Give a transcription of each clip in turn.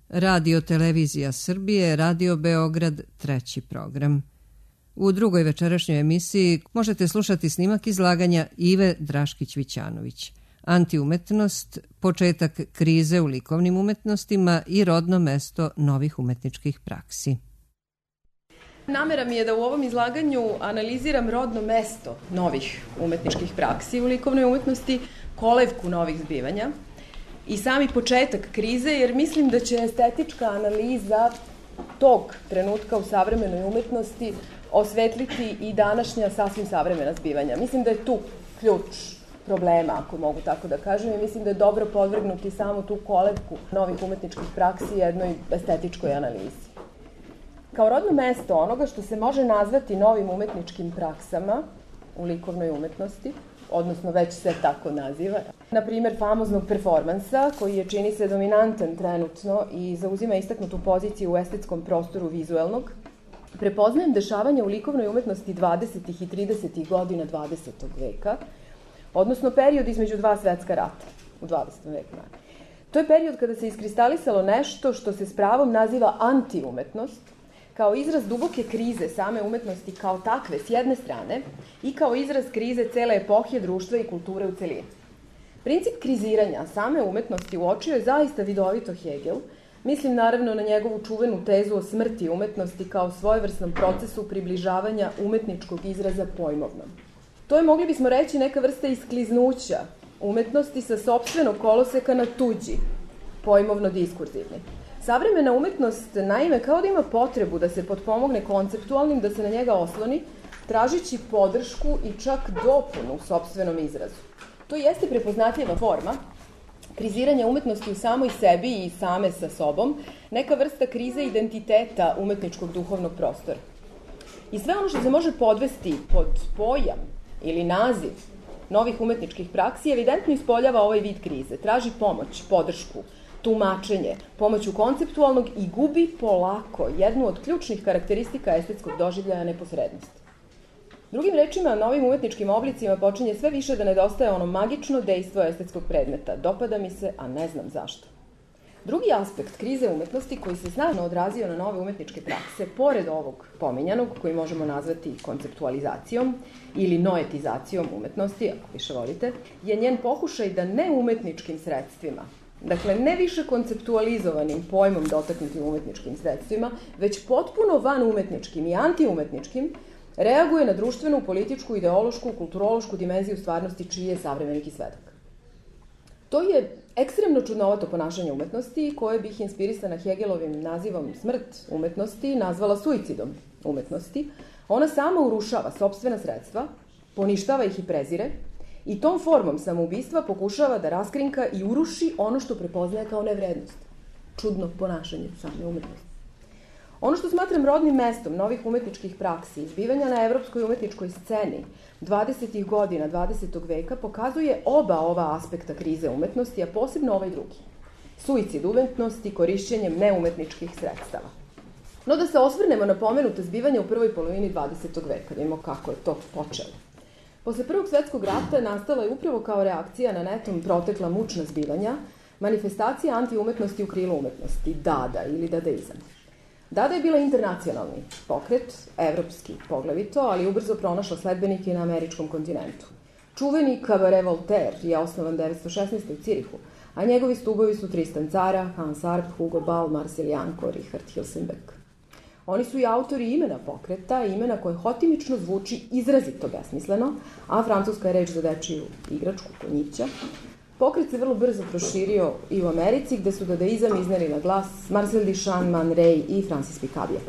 Radio Televizija Srbije, Radio Beograd, treći program. U drugoj večerašnjoj emisiji možete slušati snimak izlaganja Ive Draškić-Vićanović. Antiumetnost, početak krize u likovnim umetnostima i rodno mesto novih umetničkih praksi. Namera mi je da u ovom izlaganju analiziram rodno mesto novih umetničkih praksi u likovnoj umetnosti, kolevku novih zbivanja i sami početak krize, jer mislim da će estetička analiza tog trenutka u savremenoj umetnosti osvetliti i današnja sasvim savremena zbivanja. Mislim da je tu ključ problema, ako mogu tako da kažem, i mislim da je dobro podvrgnuti samo tu kolevku novih umetničkih praksi jednoj estetičkoj analizi. Kao rodno mesto onoga što se može nazvati novim umetničkim praksama u likovnoj umetnosti, odnosno već se tako naziva, na primjer famoznog performansa, koji je, čini se, dominantan trenutno i zauzima istaknutu poziciju u estetskom prostoru vizuelnog, prepoznajem dešavanja u likovnoj umetnosti 20. i 30. godina 20. veka, odnosno period između dva svetska rata u 20. veku. To je period kada se iskristalisalo nešto što se s pravom naziva antiumetnost, kao izraz duboke krize same umetnosti kao takve s jedne strane i kao izraz krize cele epohije društva i kulture u celini. Princip kriziranja same umetnosti uočio je zaista vidovito Hegel, mislim naravno na njegovu čuvenu tezu o smrti umetnosti kao svojevrsnom procesu približavanja umetničkog izraza pojmovnom. To je, mogli bismo reći, neka vrsta iskliznuća umetnosti sa sopstvenog koloseka na tuđi, pojmovno-diskurzivni. Savremena umetnost, naime, kao da ima potrebu da se potpomogne konceptualnim, da se na njega osloni, tražići podršku i čak dopunu u sopstvenom izrazu. To jeste prepoznatljiva forma kriziranja umetnosti u samoj sebi i same sa sobom, neka vrsta krize identiteta umetničkog duhovnog prostora. I sve ono što se može podvesti pod pojam ili naziv novih umetničkih praksi evidentno ispoljava ovaj vid krize, traži pomoć, podršku, tumačenje, pomoću konceptualnog i gubi polako jednu od ključnih karakteristika estetskog doživljaja neposrednosti. Drugim rečima, novim umetničkim oblicima počinje sve više da nedostaje ono magično dejstvo estetskog predmeta. Dopada mi se, a ne znam zašto. Drugi aspekt krize umetnosti koji se snažno odrazio na nove umetničke prakse, pored ovog pominjanog, koji možemo nazvati konceptualizacijom ili noetizacijom umetnosti, ako više volite, je njen pokušaj da neumetničkim sredstvima, dakle, ne više konceptualizovanim pojmom dotaknutim umetničkim sredstvima, već potpuno vanumetničkim i antiumetničkim, reaguje na društvenu, političku, ideološku, kulturološku dimenziju stvarnosti čiji je savremenik i svedak. To je ekstremno čudnovato ponašanje umetnosti koje bih inspirisana Hegelovim nazivom smrt umetnosti nazvala suicidom umetnosti. Ona sama urušava sopstvena sredstva, poništava ih i prezire, i tom formom samoubistva pokušava da raskrinka i uruši ono što prepoznaje kao nevrednost. Čudno ponašanje same umetnosti. Ono što smatram rodnim mestom novih umetničkih praksi, izbivanja na evropskoj umetničkoj sceni 20. godina 20. veka, pokazuje oba ova aspekta krize umetnosti, a posebno ovaj drugi. Suicid umetnosti korišćenjem neumetničkih sredstava. No da se osvrnemo na pomenuta zbivanja u prvoj polovini 20. veka, vidimo kako je to počelo. Posle Prvog svetskog rata nastala je upravo kao reakcija na netom protekla mučna zbivanja manifestacija antiumetnosti u krilu umetnosti, Dada ili dadaizam. Dada je bila internacionalni pokret, evropski poglavito, ali ubrzo pronašla sledbenike na američkom kontinentu. Čuveni Cabaret Voltaire je osnovan 1916. u Cirihu, a njegovi stubovi su Tristan Tzara, Hans Arp, Hugo Ball, Marcel Janko, Richard Hilsenbeck. Oni su i autori imena pokreta, imena koje hotimično zvuči izrazito besmisleno, a francuska je reč za dečiju igračku, konjića. Pokret se vrlo brzo proširio i u Americi, gde su dadaizam izneli na glas Marcel Duchamp, Man Ray i Francis Picabia.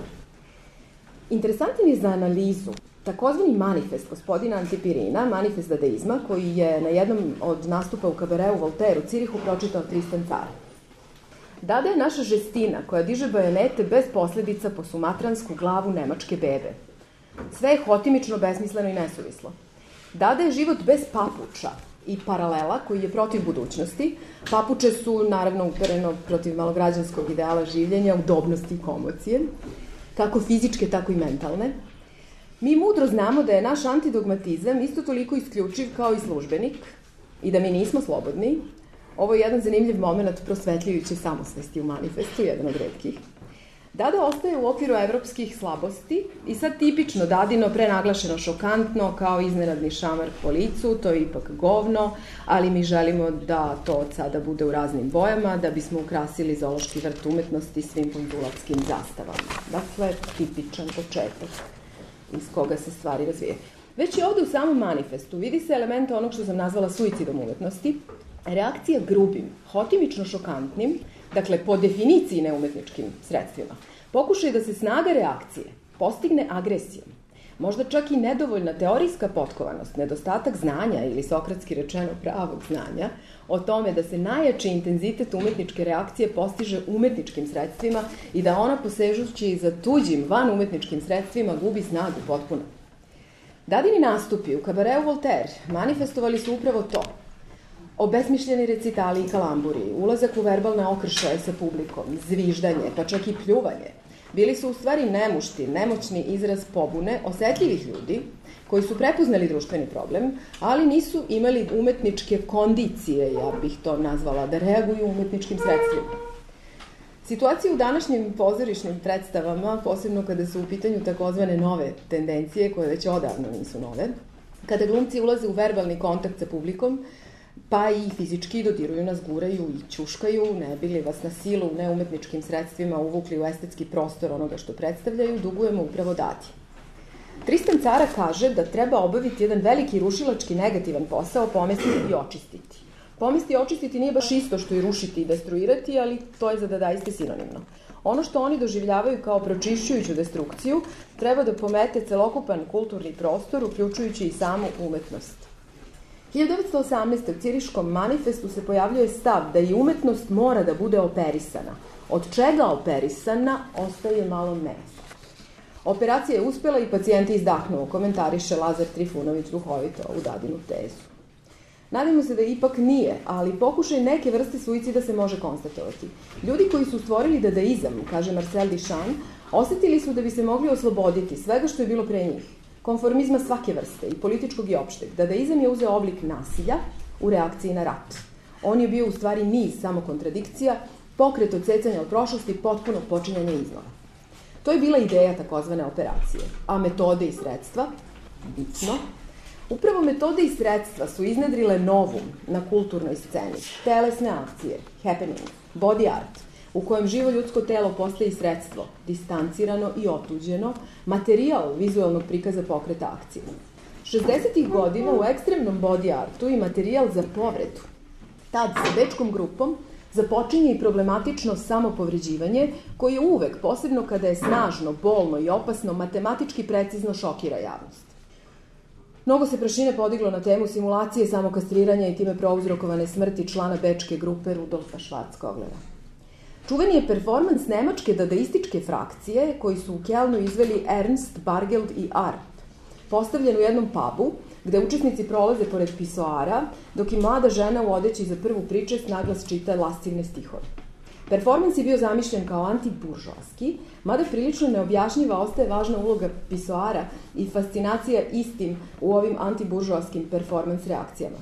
Interesantan je za analizu takozvani manifest gospodina Antipirina, manifest dadaizma, koji je na jednom od nastupa u kabareu Voltaire u Cirihu pročitao Tristan Tzara. Dada je naša žestina koja diže bajonete bez posledica po sumatransku glavu nemačke bebe. Sve je hotimično, besmisleno i nesuvislo. Dada je život bez papuča i paralela koji je protiv budućnosti. Papuče su naravno upereno protiv malograđanskog ideala življenja, udobnosti i komocije, kako fizičke, tako i mentalne. Mi mudro znamo da je naš antidogmatizam isto toliko isključiv kao i službenik i da mi nismo slobodni, Ovo je jedan zanimljiv moment prosvetljujuće samosvesti u manifestu, jedan od retkih. Dada ostaje u okviru evropskih slabosti i sad tipično Dadino, prenaglašeno šokantno, kao iznenadni šamar po licu, to je ipak govno, ali mi želimo da to od sada bude u raznim bojama, da bismo ukrasili zoološki vrt umetnosti svim ponzulatskim zastavama. Dakle, tipičan početak iz koga se stvari razvije. Već i ovde u samom manifestu vidi se element onog što sam nazvala suicidom umetnosti, reakcija grubim, hotimično šokantnim, dakle, po definiciji neumetničkim sredstvima, pokušaj da se snaga reakcije postigne agresijom, možda čak i nedovoljna teorijska potkovanost, nedostatak znanja ili sokratski rečeno pravog znanja, o tome da se najjači intenzitet umetničke reakcije postiže umetničkim sredstvima i da ona posežući za tuđim van umetničkim sredstvima gubi snagu potpuno. Dadini nastupi u kabareu Voltaire manifestovali su upravo to. Obesmišljeni recitali i kalamburi, ulazak u verbalne okršaje sa publikom, zviždanje, pa čak i pljuvanje, bili su u stvari nemušti, nemoćni izraz pobune osetljivih ljudi koji su prepoznali društveni problem, ali nisu imali umetničke kondicije, ja bih to nazvala, da reaguju umetničkim sredstvima. Situacija u današnjim pozorišnim predstavama, posebno kada su u pitanju takozvane nove tendencije, koje već odavno nisu nove, kada glumci ulaze u verbalni kontakt sa publikom, pa i fizički dodiruju nas, guraju i ćuškaju, ne bili vas na silu neumetničkim sredstvima uvukli u estetski prostor onoga što predstavljaju, dugujemo upravo Dadi. Tristan Cara kaže da treba obaviti jedan veliki rušilački negativan posao, pomestiti i očistiti. Pomesti i očistiti nije baš isto što i rušiti i destruirati, ali to je za dadaiste sinonimno. Ono što oni doživljavaju kao pročišćujuću destrukciju treba da pomete celokupan kulturni prostor, uključujući i samu umetnost. 1918. u Ciriškom manifestu se pojavljuje stav da i umetnost mora da bude operisana. Od čega operisana ostaje malo nejasno. Operacija je uspela i pacijenti izdahnuo, komentariše Lazar Trifunović duhovito u Dadinu tezu. Nadamo se da ipak nije, ali pokušaj neke vrste suicida se može konstatovati. Ljudi koji su stvorili dadaizam, kaže Marcel Duchamp, osetili su da bi se mogli osloboditi svega što je bilo pre njih. Konformizma svake vrste, i političkog i opšteg. Dadaizam je uzeo oblik nasilja u reakciji na rat. On je bio u stvari niz samo kontradikcija, pokret odsecanja od prošlosti, potpuno počinjanje iznova. To je bila ideja takozvane operacije, a metode i sredstva, bitno, upravo metode i sredstva su iznedrile novum na kulturnoj sceni, telesne akcije, happening, body art, u kojem živo ljudsko telo postaje sredstvo, distancirano i otuđeno, materijal vizualnog prikaza pokreta akcije. 60. godina u ekstremnom body artu i materijal za povredu. Tad sa bečkom grupom započinje i problematično samopovređivanje, koje uvek, posebno kada je snažno, bolno i opasno, matematički precizno šokira javnost. Mnogo se prašine podiglo na temu simulacije samokastriranja i time prouzrokovane smrti člana bečke grupe Rudolfa Schwarzkoglera. Čuveni je performans nemačke dadaističke frakcije koji su u Kelnu izveli Ernst, Bargeld i Arp, postavljen u jednom pubu gde učesnici prolaze pored pisoara, dok i mlada žena u odeći za prvu pričest naglas čita lascivne stihove. Performans je bio zamišljen kao antiburžoaski, mada prilično neobjašnjiva ostaje važna uloga pisoara i fascinacija istim u ovim antiburžoaskim performans reakcijama.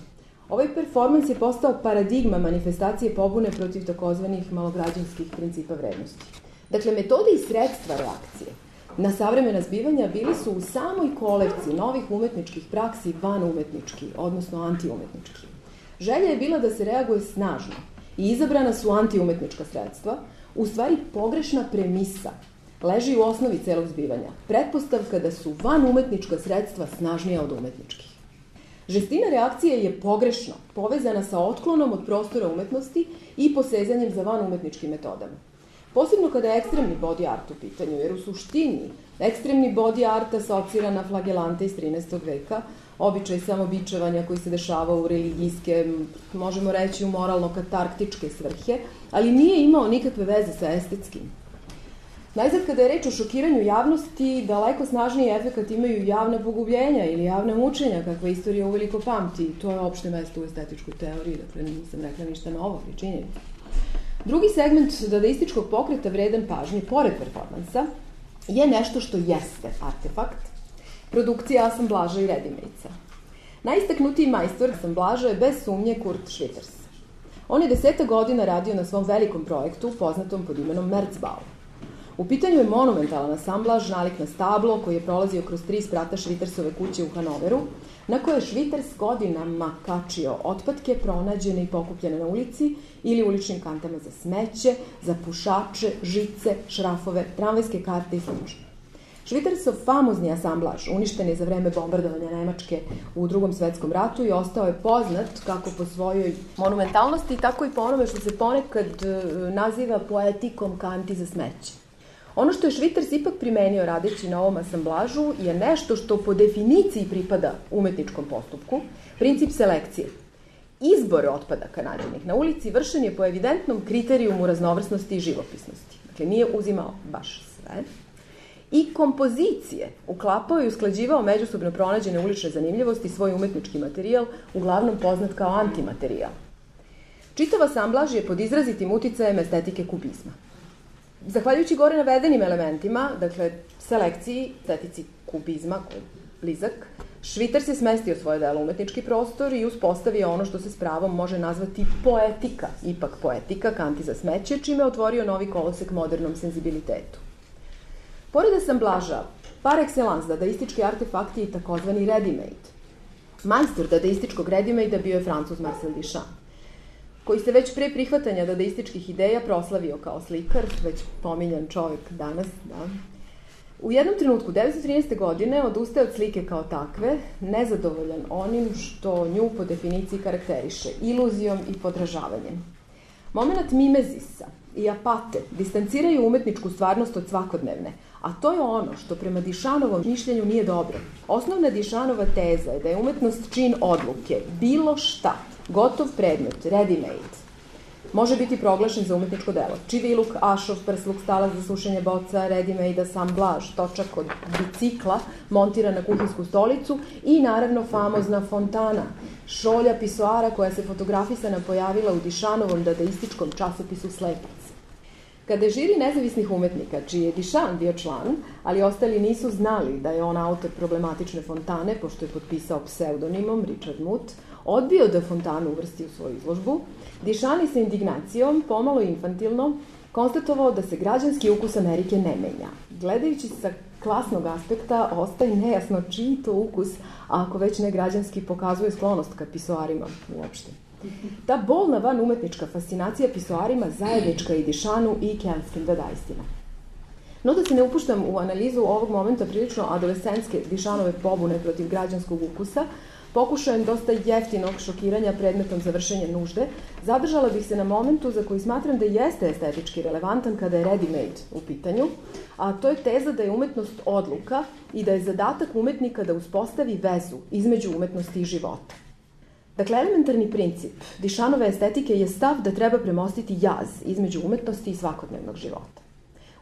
Ovaj performans je postao paradigma manifestacije pobune protiv takozvanih malograđanskih principa vrednosti. Dakle, metode i sredstva reakcije na savremena zbivanja bili su u samoj kolevci novih umetničkih praksi van umetnički, odnosno antiumetnički. Želja je bila da se reaguje snažno i izabrana su antiumetnička sredstva, u stvari pogrešna premisa leži u osnovi celog zbivanja, pretpostavka da su van umetnička sredstva snažnija od umetničkih. Žestina reakcije je pogrešno povezana sa otklonom od prostora umetnosti i posezanjem za van umetničkim metodama. Posebno kada je ekstremni body art u pitanju, jer u suštini ekstremni body art asocira na flagelante iz 13. veka, običaj samobičevanja koji se dešava u religijske, možemo reći u moralno-katarktičke svrhe, ali nije imao nikakve veze sa estetskim. Najzad, kada je reč o šokiranju javnosti, daleko snažniji efekat imaju javna pogubljenja ili javna mučenja, kakva istorija uveliko pamti. To je opšte mesto u estetičkoj teoriji, dakle nisam rekla ništa novo, ali činjenica. Drugi segment dadaističkog pokreta vredan pažnje, pored performansa, je nešto što jeste artefakt, produkcija asamblaža i redimejca. Najistaknutiji majstor asamblaža je bez sumnje Kurt Schwitters. On je 10 godina radio na svom velikom projektu poznatom pod imenom Merzbau. U pitanju je monumentalan asamblaž nalik na stablo koji je prolazio kroz 3 sprata Švitersove kuće u Hanoveru, na koje je Šviters godinama kačio otpadke pronađene i pokupljene na ulici ili uličnim kantama za smeće, za pušače, žice, šrafove, tramvajske karte i sl. Švitersov famozni asamblaž uništen je za vreme bombardovanja Nemačke u Drugom svetskom ratu i ostao je poznat kako po svojoj monumentalnosti, tako i po onome što se ponekad naziva poetikom kanti za smeće. Ono što je Šviters ipak primenio radeći na ovom asamblažu je nešto što po definiciji pripada umetničkom postupku, princip selekcije. Izbor otpadaka nađenih na ulici vršen je po evidentnom kriterijumu raznovrsnosti i živopisnosti. Dakle, nije uzimao baš sve. I kompozicije uklapao i usklađivao međusobno pronađene ulične zanimljivosti svoj umetnički materijal, uglavnom poznat kao antimaterijal. Čitav asamblaž je pod izrazitim uticajem estetike kubizma. Zahvaljujući gore navedenim elementima, dakle selekciji, estetici kubizma, koji je blizak, Šviters je smestio svoje delo u umetnički prostor i uspostavio ono što se s pravom može nazvati poetika, ipak poetika, kanti za smeće, čime je otvorio novi kolosek modernom senzibilitetu. Pored asamblaža, par excellence dadaistički artefakti i takozvani ready-made. Majstor dadaističkog ready-made bio je Francuz Marcel Duchamp, koji se već pre prihvatanja dadaističkih ideja proslavio kao slikar, već pominjan čovjek danas. Da. U jednom trenutku, 1913. godine, odustaje od slike kao takve, nezadovoljan onim što nju po definiciji karakteriše, iluzijom i podražavanjem. Moment mimezisa i apate distanciraju umetničku stvarnost od svakodnevne, a to je ono što prema Duchampovom mišljenju nije dobro. Osnovna Duchampova teza je da je umetnost čin odluke, bilo šta, gotov predmet, ready-made, može biti proglašen za umetničko delo. Čiviluk, ašov, prsluk, stalac za sušenje boca, ready-made asamblaž, točak od bicikla, montiran na kuhinsku stolicu i naravno famozna fontana, šolja pisoara koja se fotografisana pojavila u Duchampovom dadaističkom časopisu Slepac. Kada je žiri nezavisnih umetnika, čiji je Duchamp bio član, ali ostali nisu znali da je on autor problematične fontane, pošto je potpisao pseudonimom Richard Muth, odbio da fontanu uvrsti u svoju izložbu, Duchamp je sa indignacijom, pomalo infantilno, konstatovao da se građanski ukus Amerike ne menja. Gledajući sa klasnog aspekta, ostaje nejasno čiji to ukus, a ako već ne građanski, pokazuje sklonost ka pisoarima uopšte. Ta bolna van umetnička fascinacija pisoarima zajednička i Duchampu i kenskim dadaistima. No da se ne upuštam u analizu ovog momenta prilično adolescentske Duchampove pobune protiv građanskog ukusa, pokušajem dosta jeftinog šokiranja predmetom za vršenje nužde, zadržala bih se na momentu za koji smatram da jeste estetički relevantan kada je ready-made u pitanju, a to je teza da je umetnost odluka i da je zadatak umetnika da uspostavi vezu između umetnosti i života. Dakle, elementarni princip Duchampove estetike je stav da treba premostiti jaz između umetnosti i svakodnevnog života.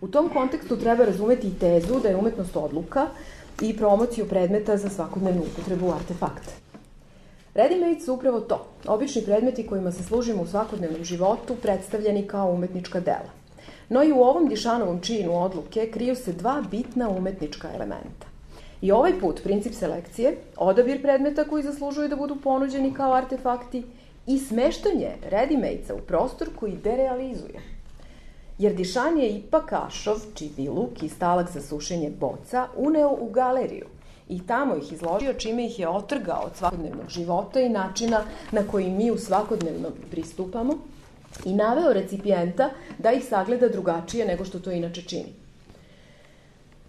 U tom kontekstu treba razumeti i tezu da je umetnost odluka i promociju predmeta za svakodnevnu upotrebu artefakta. Ready-made su upravo to, obični predmeti kojima se služimo u svakodnevnom životu predstavljeni kao umetnička dela. No i u ovom Duchampovom činu odluke kriju se dva bitna umetnička elementa. I ovaj put princip selekcije, odabir predmeta koji zaslužuju da budu ponuđeni kao artefakti i smeštanje ready-made-a u prostor koji derealizuje. Jer Duchamp je ipak ašov, čiviluk i stalak za sušenje boca uneo u galeriju i tamo ih izložio, čime ih je otrgao od svakodnevnog života i načina na koji mi u svakodnevnom pristupamo i naveo recipijenta da ih sagleda drugačije nego što to inače čini.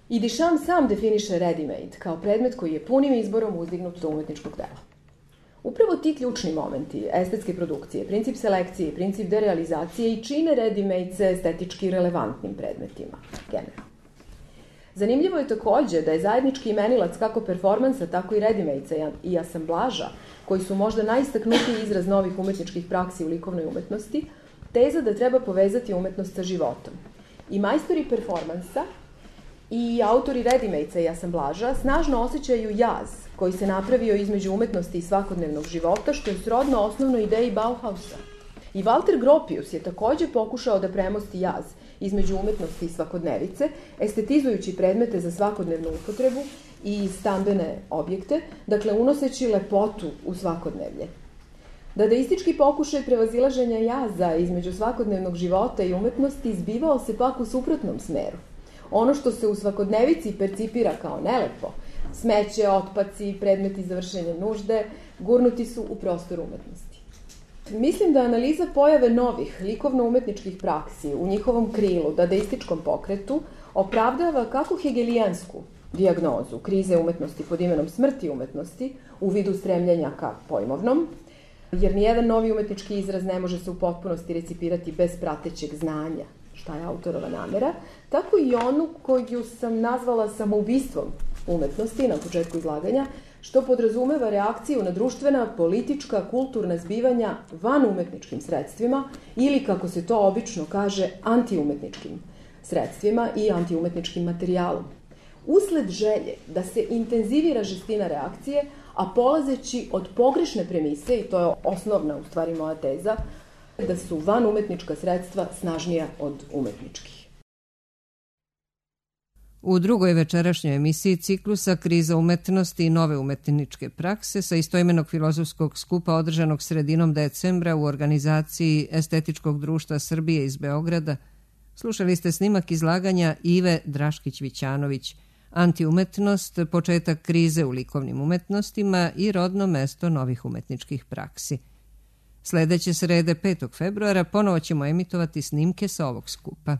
I Duchamp sam definiše ready-made kao predmet koji je punim izborom uzdignut do umetničkog dela. Upravo ti ključni momenti estetske produkcije, princip selekcije, princip derealizacije i čine ready-made estetički relevantnim predmetima, generalno. Zanimljivo je takođe da je zajednički imenilac kako performansa, tako i ready-made i asamblaža, koji su možda najistaknutiji izraz novih umetničkih praksi u likovnoj umetnosti, teza da treba povezati umetnost sa životom. I majstori performansa i autori ready-made i asamblaža snažno osjećaju jaz koji se napravio između umetnosti i svakodnevnog života, što je srodno osnovnoj ideji Bauhausa. I Walter Gropius je takođe pokušao da premosti jaz između umetnosti i svakodnevice, estetizujući predmete za svakodnevnu upotrebu i stambene objekte, dakle unoseći lepotu u svakodnevlje. Dadaistički pokušaj prevazilaženja jaza između svakodnevnog života i umetnosti izbivao se pak u suprotnom smeru. Ono što se u svakodnevici percipira kao nelepo, smeće, otpaci, predmeti za vršenje nužde, gurnuti su u prostor umetnosti. Mislim da analiza pojave novih likovno-umetničkih praksi u njihovom krilu, dadaističkom pokretu, opravdava kako hegelijansku dijagnozu krize umetnosti pod imenom smrti umetnosti u vidu stremljenja ka pojmovnom, jer nijedan novi umetnički izraz ne može se u potpunosti recipirati bez pratećeg znanja šta je autorova namera, tako i onu koju sam nazvala samoubistvom umetnosti na početku izlaganja, što podrazumeva reakciju na društvena, politička, kulturna zbivanja van umetničkim sredstvima ili, kako se to obično kaže, antiumetničkim sredstvima i antiumetničkim materijalom. Usled želje da se intenzivira žestina reakcije, a polazeći od pogrešne premise, i to je osnovna u stvari moja teza, da su van umetnička sredstva snažnija od umetničkih. U drugoj večerašnjoj emisiji ciklusa Kriza umetnosti i nove umetničke prakse sa istoimenog filozofskog skupa održanog sredinom decembra u organizaciji Estetičkog društva Srbije iz Beograda, slušali ste snimak izlaganja Ive Draškić-Vićanović, Antiumetnost, početak krize u likovnim umetnostima i rodno mesto novih umetničkih praksi. Sledeće srede 5. februara ponovo ćemo emitovati snimke sa ovog skupa.